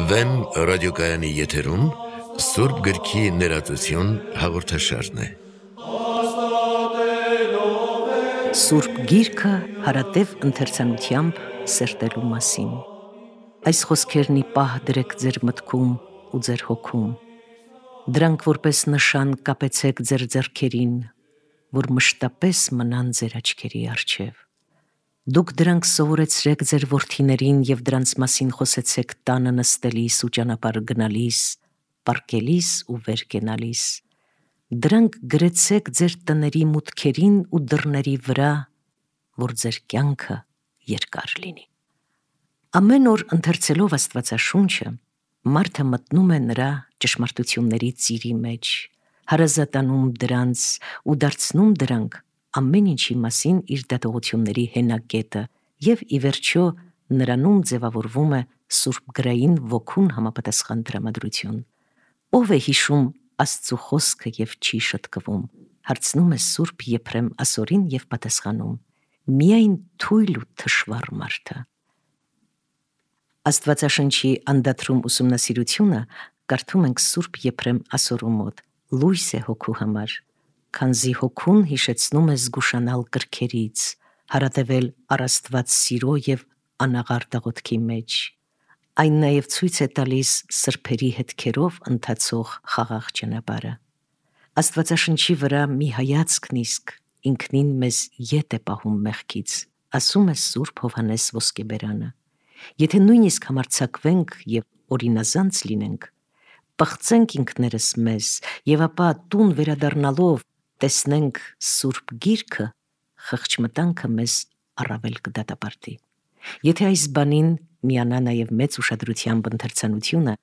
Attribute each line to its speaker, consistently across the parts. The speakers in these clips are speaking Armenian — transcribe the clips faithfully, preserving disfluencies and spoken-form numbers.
Speaker 1: Վեմ ռադիոկայանի եթերում Սուրբ գրքի ներածություն հաղորդաշարն է։
Speaker 2: Սուրբ գիրքը հարատև ընթերցանությամբ սերտելու մասին։ Այս խոսքերն ի պահ դրեք ձեր մտքում ու ձեր հոգում։ Դրանք որպես նշան կապեցեք ձեր ձեռքերին, որ մշտապես մնան ձեր աչքերի առջև։ Դուք դրանք սովորեցրեք ձեր որդիներին և դրանց մասին խոսեցեք տանը նստելիս ու ճանապարհ գնալիս, պառկելիս ու վեր կենալիս։ Դրանք գրեցեք ձեր տների մուտքերին ու դռների վրա, որ ձեր կյանքը երկար լինի։ Ամեն օր ընթերցելով Աստվածաշունչը, մարդը մտնում է նրա ճշմարտությունների ծիրի մեջ, հարազատանում դրանց ու դարձնում դրանք ամեն ինչի մասին իր դատողությունների հենակետը և ի վերջո նրանում ձևավորվում է սուրբգրային ոգուն համապատասխան տրամադրություն։ Ո՞վ է հիշում Աստծու խոսքը և չի շտկվում, հարցնում է Սուրբ Եփրեմ ասորին և պատասխանում. միայն թույլ ու թշվառ մարդը։ Աստվածաշնչի անդադրում ուսումնասիրությունը կարդում ենք Սուրբ Եփրեմ ասորու մոտ, լույս է հոգու համար, քանզի հոգուն հիշեցնում է զգուշանալ կրքերից, հարատևել առ Աստված սիրո և անաղարտ աղոթքի մեջ։ Այն նաև ցույց է տալիս սրբերի հետքերով ընթացող խաղաղ ճանապարհը։ Աստվածաշնչի վրա մի հայացքն իսկ ինքնին մեզ ետ է պահում մեղքից, ասում է Սուրբ Հովհաննես Ոսկեբերանը։ Եթե նույնիսկ համարձակվենք և օրինազանց լինենք, պղծենք ինքներս մեզ և ապա տուն վերադառնալով տեսնենք Սուրբ Գիրքը, խղճմտանքը մեզ առավել կդատապարտի։ Եթե այս բանին միանա նաև մեծ ուշադրությամբ ընթերցանությունը,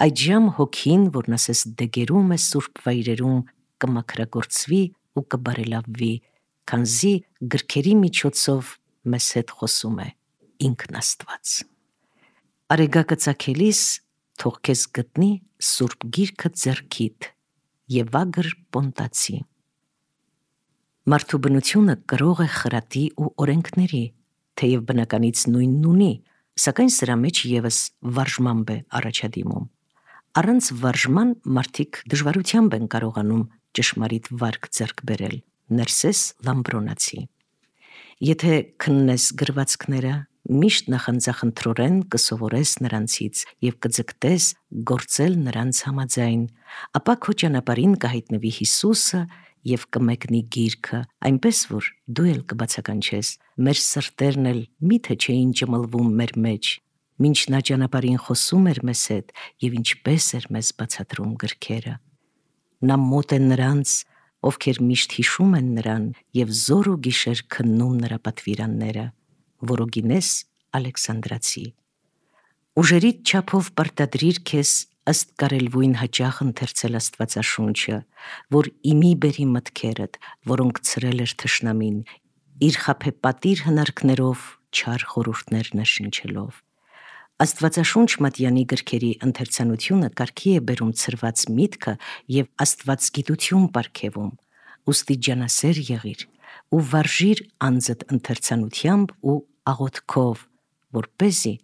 Speaker 2: այդժամ հոգին, որն ասես դեգերում է սուրբ վայրերում, կմաքրագործվի ու կբարելավվի, քանզի գրքերի միջոցով մեզ հետ խոսում է ինքն Աստված։ Արեգակը ծագելիս թող քեզ գտնի Սուրբ Գիրքը ձեռքիդ, Եվագր Պոնտացի։ Մարդու բնությունը կրող է խրատի ու օրենքների, թեև բնականից նույնն ունի, սակայն սրա մեջ ևս վարժմամբ է առաջադիմում։ Առանց վարժման մարդիկ դժվարությամբ են կարողանում ճշմարիտ վարք ձեռք բերել, ներսես Լամբրոնացի։ Եթե քննես գրվածքները, միշտ նախանձախնդրորեն կսովորես նրանցից և կձգտես գործել նրանց համաձայն, ապա քո ճանապարհին կհայտնվի Հիսուսը և կմեկնի գիրքը, այնպես որ դու էլ կբացականչես. մեր սրտերն էլ միթե չէին ճմլվում մեր մեջ, մինչ նա ճանապարհին խոսում էր մեզ հետ և ինչպես էր մեզ բացատրում գրքերը։ Նա մոտ է նրանց, ովքեր միշտ հիշում են նրան և զոր ու գիշեր քննում նրա պատվիրանները։ Որոգինես Ալեքսանդրացի։ Ուժերիդ չափով պարտադրիր քեզ ըստ կարելվույն հաճախ ընթերցել Աստվածաշունչը, որ իմի բերի մտքերդ, որոնք ցրել էր թշնամին, իր խաբեպատիր հնարքներով չար խորհուրդներ ներշնչելով։ Աստվածաշունչ մատյանի գրքերի ընթերցանությունը կարգի է բերում ցրված միտքը և աստվածգիտություն պարգևում, ուստի ջանասեր եղիր ու վարժիր անձդ ընթերցանությամբ ու աղոթքով, որպեսզի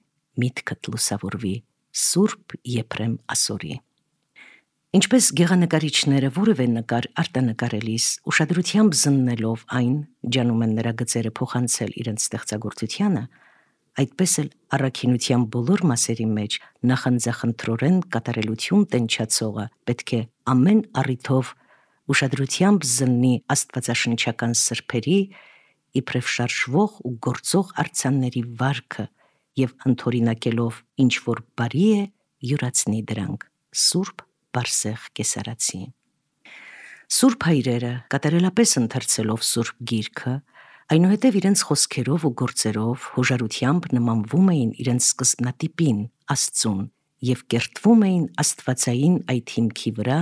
Speaker 2: միտքդ լուսավորվի Սուրբ Եփրեմ ասորի։ Ինչպես գեղանկարիչները որևէ նկար արտանկարելիս ուշադրությամբ զննելով այն ջանում են նրա գծերը փոխանցել իրենց ստեղծագործությանը, այդպես էլ առաքինության բոլոր մասերի մեջ նախանձախնդրորեն կատարելություն տենչացողը պետք է ամեն առիթով ուշադրությամբ զննի աստվածաշնչական սրբերի, իբրև շարժվող ու գործող արձանների վարքը և ընդօրինակելով ինչ որ բարի է, յուրացնի դրանք Սուրբ Բարսեղ Կեսարացի։ Սուրբ հայրերը կատարելապես ընթերցելով Սուրբ Գիրքը, այնուհետև իրենց խոսքերով ու գործերով հոժարությամբ նմանվում էին իրենց սկզբնատիպին, Աստծուն, և կերտվում էին աստվածային այդ հիմքի վրա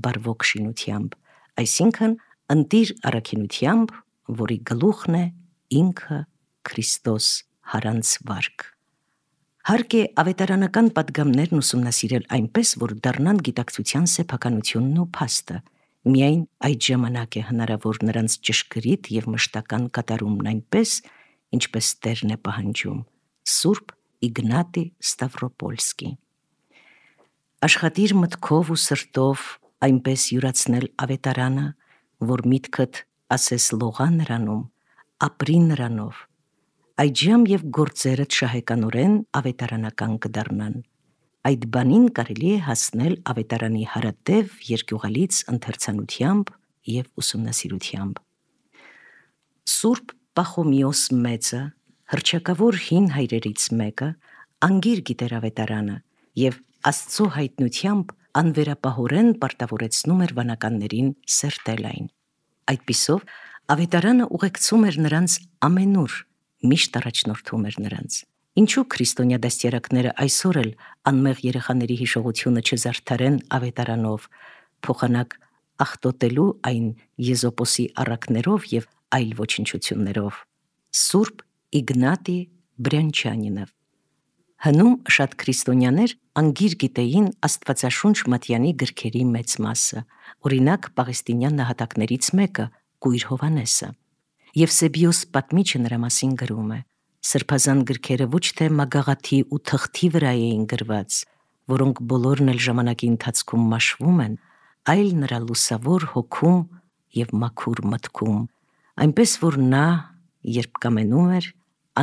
Speaker 2: բարվոք շինությամբ, այսինքն ընտիր առաքինությամբ, որի գլուխն է ինքը Քրիստոս հարանց վարք։ Հարկ է ավետարանական պատգամներն ուսումնասիրել այնպես, որ դառնան գիտակցության սեփականությունն ու փաստը, միայն այդ ժամանակ է հնարավոր նրանց ճշգրիտ և մշտական կատարումն այնպես, ինչպես Տերն է պահանջում։ Սուրբ Իգնատի Ստավրոպոլսկի։ Աշխատիր մտքով ու սրտով այնպես յուրացնել ավետարանը, որ միտքդ ասես լողա նրանում, ապրի նրանով, այջամ և գործերդ շահեկանորեն ավետարանական կդառնան։ Այդ բանին կարելի է հասնել ավետարանի հարատև երկյուղալից ընթերցանությամբ և ուսումնասիրությամբ։ Սուրբ Պախոմիոս մեծը, հռչակավոր հին հայրերից մեկը, անգիր գիտեր ավետարանը և Աստծո հայտնությամբ անվերապահորեն պարտավորեցնում էր վանականներին սերտել այն։ Այդպիսով ավետարանը ուղեկցում էր նրանց ամենուր, միշտ առաջնորդում էր նրանց։ Ինչու քրիստոնյա դաստիարակները այսօր էլ անմեղ երեխաների հիշողությունը չզարդարեն ավետարանով, փոխանակ աղտոտելու այն Եզոպոսի առակներով և այլ ոչնչություններով։ Սուրբ Իգնատի Բրյանչյանինը։ Հնում շատ քրիստոնյաներ անգիր գիտեին Աստվածաշունչ Մատյանի գրքերի մեծ մասը, օրինակ պաղեստինյան նահատակներից մեկը՝ Կույր Հովհաննեսը։ Եվսեբիոս պատմիչը նրա մասին գրում է. սրբազան գրքերը ոչ թե մագաղաթի ու թղթի վրա էին գրված, որոնք բոլորն էլ ժամանակի ընթացքում մաշվում են, այլ նրա լուսավոր հոգում և մաքուր մտքում, այնպես որ նա, երբ կամենում էր,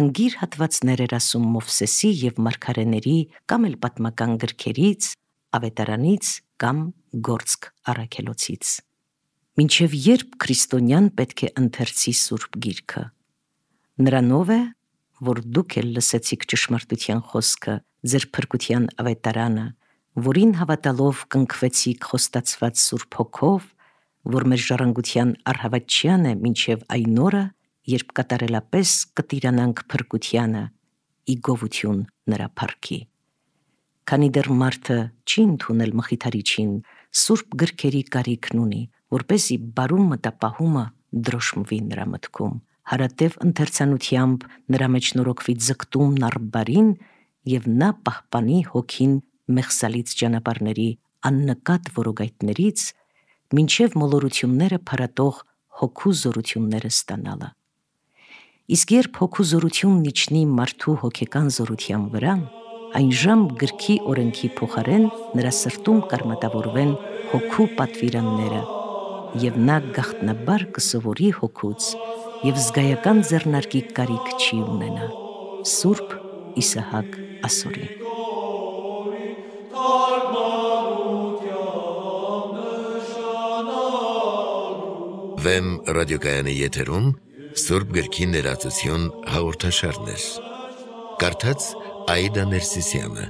Speaker 2: անգիր հատվածներ էր ասում Մովսեսի և մարգարեների կամ էլ պատմական գրքերից, ավետարանից կամ Գործք առաքելոցից։ Մինչև երբ քրիստոնյան պետք է ընթերցի Սուրբ Գիրքը։ Նրանով է, որ դուք էլ լսեցիք ճշմարտության խոսքը, ձեր փրկության ավետարանը, որին հավատալով կնքվեցիք խոստացված Սուրբ Հոգով, որ մեր ժառանգության առհավատչյան է մինչև այն օրը, երբ կատարելապես կտիրանանք փրկությանը, ի գովություն նրա փառքի։ Քանի դեռ մարդը չի ընդունել Մխիթարիչին, Սուրբ գրքերի կարիքն ունի, որպեսզի բարում մտապահումը դրոշմվի նրա մտքում, հարատև ընթերցանությամբ նրա մեջ նորոգվի ձգտումն առ բարին և նա պահպանի հոգին մեղսալից ճանապարհների աննկատ որոգայթներից, մինչև մոլորությունները փարատող հոգու զորությունները ստանալը։ Իսկ երբ հոգու զորությունն իջնի մարդու հոգեկան զորության վրա, այնժամ գրքի օրենքի փոխարեն նրա սրտում կարմատավորվեն հոգու պատվիրանները, և նա գաղտնաբար կսովորի հոգուց և զգայական ձեռնարկի կարիք չի ունենա։ Սուրբ Իսահակ Ասորի։
Speaker 1: Վեմ ռադիոկայանի եթերում Սուրբ գրքի ներածություն հաղորդաշարներ։ Կարդաց Աիդա Ներսիսյանը։